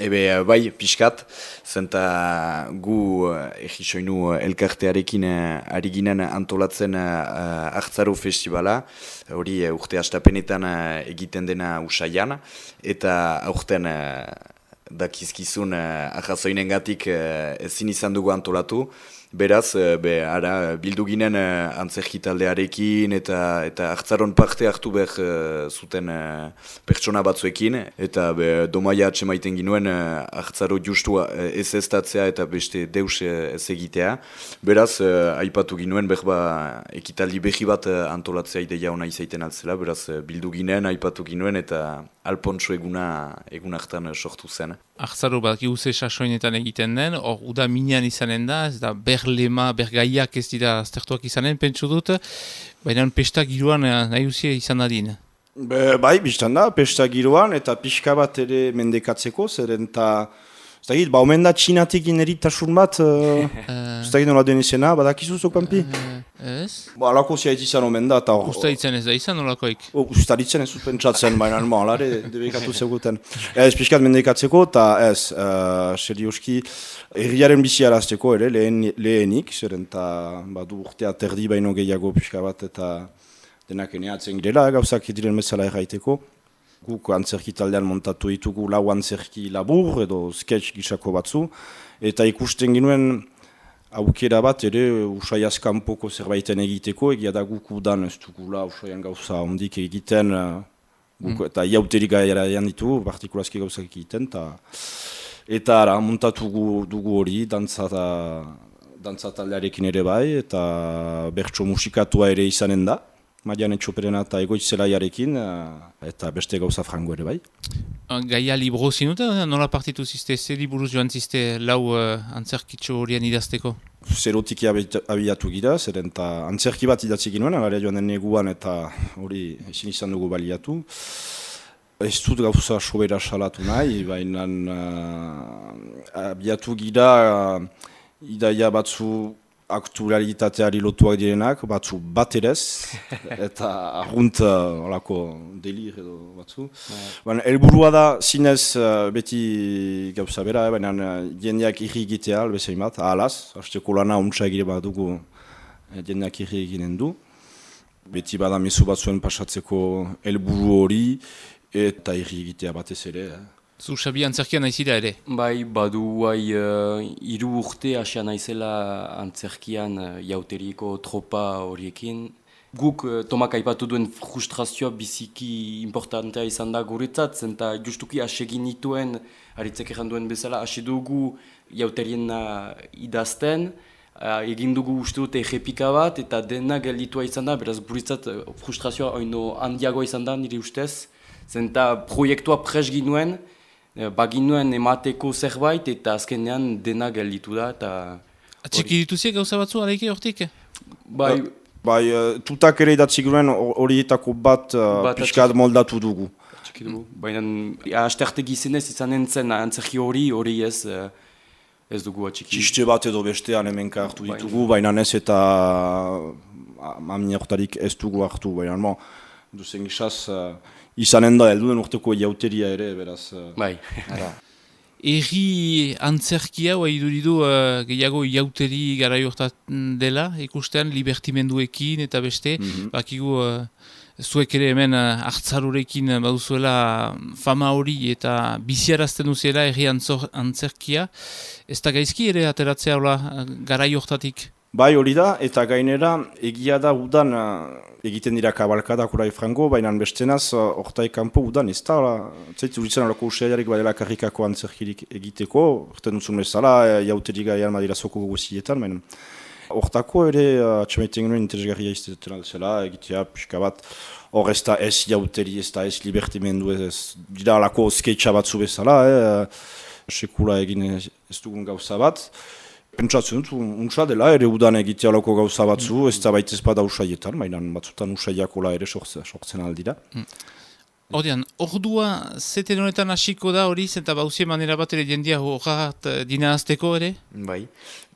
Bai, pixkat, zenta gu egisoinu elkartearekin ari ginen antolatzen Artzaro Festivala, hori urte hastapenetan egiten dena Usaian, eta aurten dakizkizun arrazoinengatik ezin izan dugu antolatu. Beraz, bildu ginen antzerki taldearekin eta Artzaron parte hartu behar zuten pertsona batzuekin, eta domaia atsemaiten ginuen Artzaro justu ez-eztatzea eta beste deus ez egitea. Beraz, aipatu ginuen ekitaldi behi bat antolatzea ideia ona izaiten altzela, beraz bildu ginen, aipatu ginuen eta Alpontso egun hartan sortu zen. Artzaro bat giuze sasoinetan egiten den, hor uda minean izanen da, ez da berlema, bergaiak ez dira aztertuak izanen, pentsu dut, baina pesta giroan nahi uzia izan dadin. Bai, biztan da, pesta giroan eta pixka bat ere mendekatzeko, zeren eta omen da txinatik ineritasun bat, ez da nola den izena, badakizu zokampi? Ez? Alako ziait izan omen da. Ustaritzen ez da izan nolakoik? Ustaritzen ez pentsatzen, baina alare debekatu zeguten. Ez pixkat mendekatzeko eta ez, serioski, herriaren biziarazteko ere lehenik, zeren eta badu urtea terdi baino gehiago pixka bat eta denak eneatzen girela, gauzak diren bezala erraiteko. Guk antzerki taldean montatu ditugu lau antzerki labur edo sketch gisako batzu, eta ikusten ginuen aukera bat ere Usaiaz kanpoko zerbaiten egiteko, egia da guk udan ez dugula Usaian gauza ondik egiten, eta iauterik gaiaraian ditugu, partikulazki gauzak egiten, eta montatu dugu hori, dantza taldearekin ere bai, eta bertso musikatua ere izanen da. Marian Etxoperena eta Egoitzelaiarekin, eta beste gauza frango ere bai. Gaia libro zinute, nola partitu ziste, ze liburuz joan ziste lau antzerkitxo horien idazteko? Zerotik abiatu gira, zeren eta antzerki bat idatzi ginuen, agarea joan den neguan eta hori ezin izan dugu baliatu. Ez dut gauza sobera salatu nahi, baina abiatu gira idaia batzu aktualitateari lotuak direnak, batzu bat erez, eta arrunt olako delir edo batzu. Baina helburua da zinez beti gauza bera, baina jendeak irri egitea, albezain bat, ahalaz, hasteko lana untsa egire bat dugu jendeak irri eginen du. Beti bada mezu batzuen pasatzeko helburu hori, eta irri egitea batez ere. Zu Xabi antzerkian naizira ere? Bai, badu hiru urte hasia naizela antzerkian jauteriko tropa horiekin. Guk Tomak aipatu duen frustrazioa biziki importantea izan da guretzat, zenta justuki asegin nituen, haritzek erran duen bezala, hasi dugu jauterien idazten, egin dugu uste dute errepika bat, eta dena gelditua izan da, beraz guretzat frustrazioa oino handiagoa izan da nire ustez, zenta proiektua pres ginuen, baginuen emateko zerbait eta azkenean dena gelditu da. Atxiki dituziek gauza batzu aleike hortik? Bai, tutak ere idatzi ginen horietako bat pixkat moldatu dugu. Baina asterte gizenez izan entzen antzerki hori ez dugu atxiki. Txiste bat edo bestean hemenka hartu ditugu, baina ez eta aminertarik ez dugu hartu, baina duzen gizaz izanen da helduen urteko jauteria ere, beraz. Bai. Erri antzerkia, iduridu gehiago jauteri garai hortan dela, ikustean libertimenduekin eta beste, bakigu zuek ere hemen Artzarorekin baduzuela fama hori eta biziarazten duziela erri antzerkia, ez da gaizki ere ateratzea garai hortatik? Bai hori da, eta gainera egia da udan egiten dira kabalkadak orai frango, baina bestenaz hortaik kanpo udan ez da, zaitu uritzen alako usaiarik badela karrikako antzerkirik egiteko, horten duzun bezala, jauterik gaian badira zoko guzietan, baina hortako ere atxamaiten genuen interesgarria izaten altzela, egitea pixka bat, hor ez da ez jauteri, ez da ez libertimendu, ez dira alako sketcha batzu bezala, sekula egin ez dugun gauza bat. Pentsatzen dut, untsa dela ere udan egitea loko gauza batzu, ez da baitez bada usaietan, baina batzutan usaiakola ere sortzen aldira. Ordean, ordua zeten honetan hasiko da hori, zenta bauzie manera bat ere jendia horrat dina azteko ere? Bai,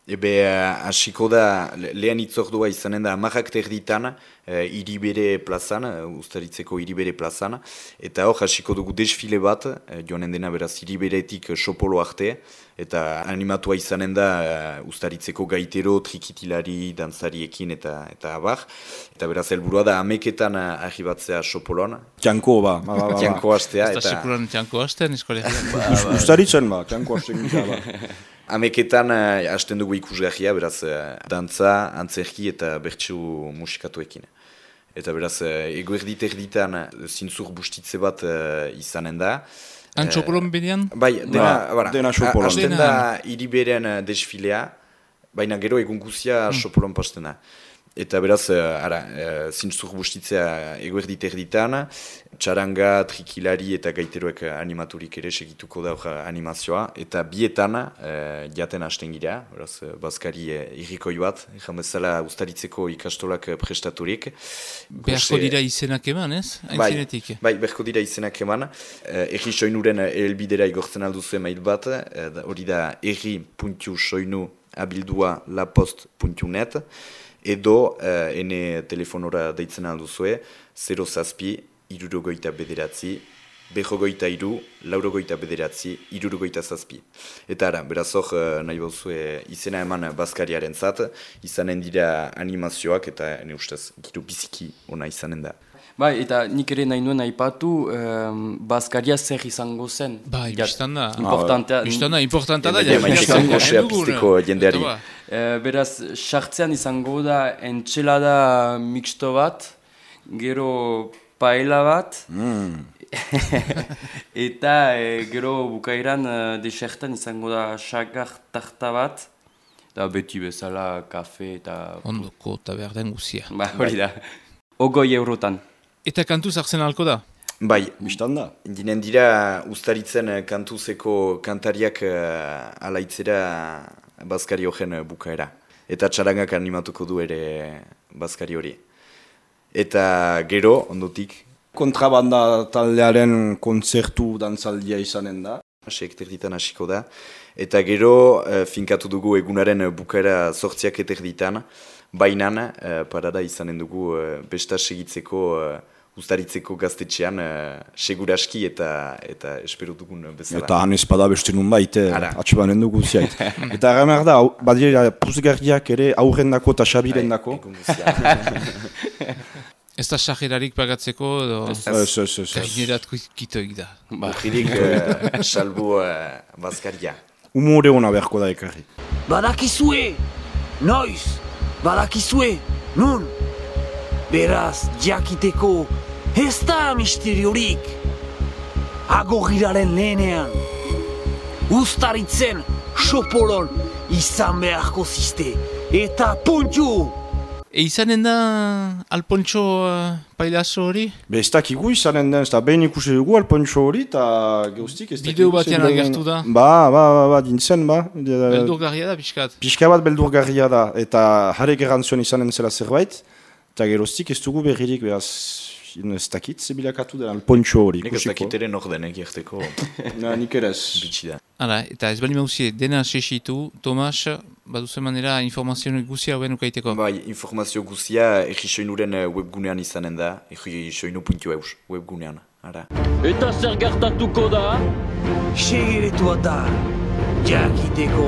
Hasiko da, lehen itzordua izanen da, 10:00 Iribere plazan, Uztaritzeko Iribere plazan, eta hor hasiko dugu desfile bat, joanen dena beraz Iriberetik Sopolo arte, eta animatua izanen da Uztaritzeko gaitero, trikitilari, dantzariekin eta abar, eta beraz helburua da 11:00 arribatzea Sopolon. Txanko, ba. Txanko hastea. Ez da sekuran txanko hasten, eskolean. Uztaritzen, ba, txanko hasten gita, ba. 11:00 hasten dugu ikusgarria, beraz dantza, antzerki eta bertsu musikatuekin. Eta beraz, eguerdit erditan zintzur bustitze bat izanen da. Antxopolon bedean? Bai, dena Sopolon. Hasten da Iriberen desfilea, baina gero egun guzia Sopolon pasten da. Eta beraz, zintzur bustitzea eguerdit erditan, txaranga, trikilari eta gaiteroek animaturik ere segituko da animazioa. Eta bietan jaten hasten gira, beraz, bazkari irrikoi bat, ezan bezala Uztaritzeko ikastolak prestaturik. Beharko dira izenak eman, ez? Aintzinetik. Bai, beharko dira izenak eman. Erri soinuren elbidera igortzen alduzu email bat, hori da erri.soinu@lapost.net. Edo ene telefonora deitzen alduzue 0-7-69, 2-3-4-69, 67. Eta ara, beraz hor nahi bauzue izena eman bazkariaren zat, izanen dira animazioak eta ene ustez giro biziki ona izanen da. Bai, eta nik ere nahi nuen aipatu, bazkaria zer izango zen. Bai, biztan da. Importanta da. Pizteko jendeari. Beraz, sartzean izango da entxelada mixto bat, gero paella bat, eta gero bukaeran desertan izango da xagar tarta bat, eta beti bezala kafe eta... Ondoko eta behar den guzia. Ba, hori da. 20 eurotan. Eta kantuz hartzen halko da? Bai, Bistan da. Dinen dira Uztaritzen kantuzeko kantariak alaitzera bazkari horren bukaera. Eta txarangak animatuko du ere bazkari hori. Eta gero, ondotik... Kontrabanda taldearen kontzertu dantzaldia izanen da. Erditan hasiko da. Eta gero, finkatu dugu egunaren bukaera 8:00 bainan, parada izanen dugu besta segitzeko Uztaritzeko gaztetxean seguraski eta espero dugun bezala. Eta han espada beste nun baite, atxibanen dugu ziait. Eta erramer da, badira puzgarriak ere aurrendako eta xabirendako. Ez da xajerarik pagatzeko edo... Gainerat kitoik da. Ujirik salbu bazkaria. Humore hona beharko da ekarri. Badakizue! Noiz! Badakizue! Nun! Beraz, jakiteko, ez da misteriorik. Agorriraren lehenean. Uztaritzen, Sopolon, izan beharko ziste. Eta puntu! Izanen da Alpontxo pailazo hori? Ez dakigu izanen den, ez da behin ikusi dugu Alpontxo hori, eta geustik ez dakigu. Bideo batean agertu da? Ba, dintzen, ba. Beldurgarria da, pixkat? Pixka bat beldurgarria da, eta jarek errantzion izanen zela zerbait, eta geroztik ez dugu berririk, behaz, ez dakit, zebilakatu den Alpontxo hori. Nik ez dakit ere nor denek jerteko. Nik ere ez. Bitsi da. Hala, eta ez bali mauzie, dena sesitu, Tomas, baduzen manera informazio guzia hauen ukaiteko? Bai, informazio guzia Errisoinuren webgunean izanen da, errisoinu.eus webgunean, ara. Eta zer gertatuko da? Segeretua da, jakiteko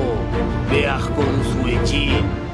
beharko duzuekin.